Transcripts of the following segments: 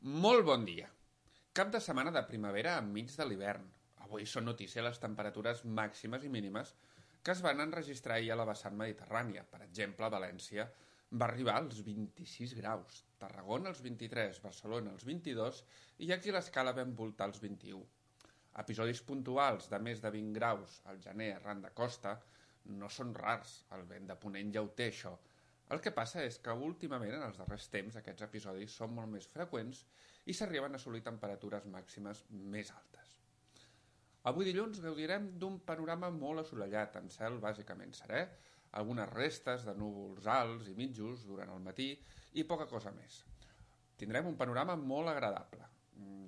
Molt bon dia. Cap de setmana de primavera enmig de l'hivern. Avui són notícia les temperatures màximes i mínimes que es van enregistrar ahir a la vessant mediterrània. Per exemple, València va arribar als 26 graus, Tarragona als 23, Barcelona als 22 i aquí l'escala vam voltar als 21. Episodis puntuals de més de 20 graus al gener arran de costa no són rars, el vent de ponent ja ho té això. El que passa és que últimament, en els darrers temps, aquests episodis són molt més freqüents i s'arriben a assolir temperatures màximes més altes. Avui dilluns gaudirem d'un panorama molt assolellat, amb cel bàsicament serè, algunes restes de núvols alts i mitjos durant el matí i poca cosa més. Tindrem un panorama molt agradable,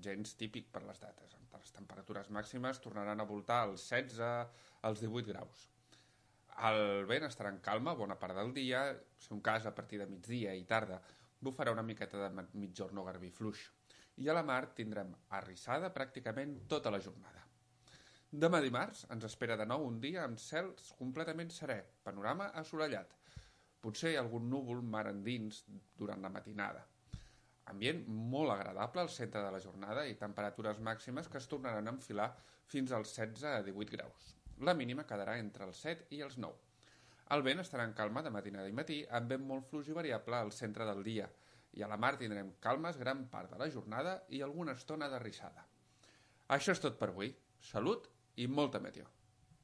gens típic per les dates. Les temperatures màximes tornaran a voltar als 16 als 18 graus. El vent estarà en calma bona part del dia, si un cas a partir de migdia i tarda bufarà una miqueta de mitjorn o garbí fluix. I a la mar tindrem arrissada pràcticament tota la jornada. Demà dimarts ens espera de nou un dia amb cels completament serè, panorama assolellat. Potser algun núvol mar endins durant la matinada. Ambient molt agradable al centre de la jornada i temperatures màximes que es tornaran a enfilar fins als 16 a 18 graus. La mínima quedarà entre els 7 i els 9. El vent estarà en calma de matinada i matí amb vent molt fluix i variable al centre del dia i a la mar tindrem calmes gran part de la jornada i alguna estona d'arrissada. Això és tot per avui. Salut i molta meteo.